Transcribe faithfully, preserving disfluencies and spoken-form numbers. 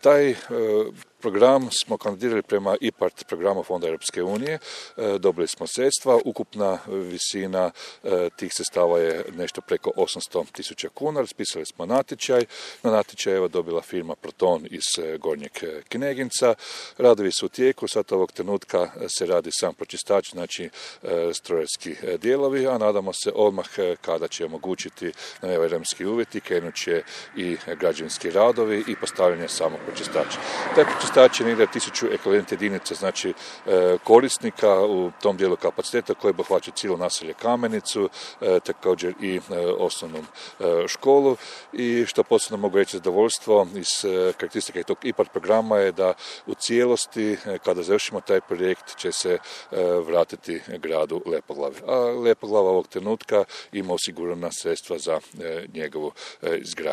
Taj program smo kandidirali prema I P A R T programu Fonda Europske unije, dobili smo sredstva, ukupna visina tih sredstava je nešto preko osamsto tisuća kuna, raspisali smo natječaj, na natječaj je dobila firma Proton iz Gornjeg Kneginca, radovi su u tijeku, sad ovog trenutka se radi sam pročistač, znači strojarski dijelovi, a nadamo se odmah kada će omogućiti na vremenski uvjeti, krenut će i građevinski radovi i postavljanje samog pročistača. Taj pročistač je negdje tisuću ekvivalent jedinica, znači korisnika u tom dijelu kapaciteta koji obuhvaća cijelo naselje Kamenicu, također i osnovnu školu. I što posebno mogu reći zadovoljstvo iz karakteristike tog I P A R T programa je da u cijelosti, kada završimo taj projekt, će se vratiti gradu Lepoglavi. A Lepoglava ovog trenutka ima osigurana sredstva za njegovu izgradnju.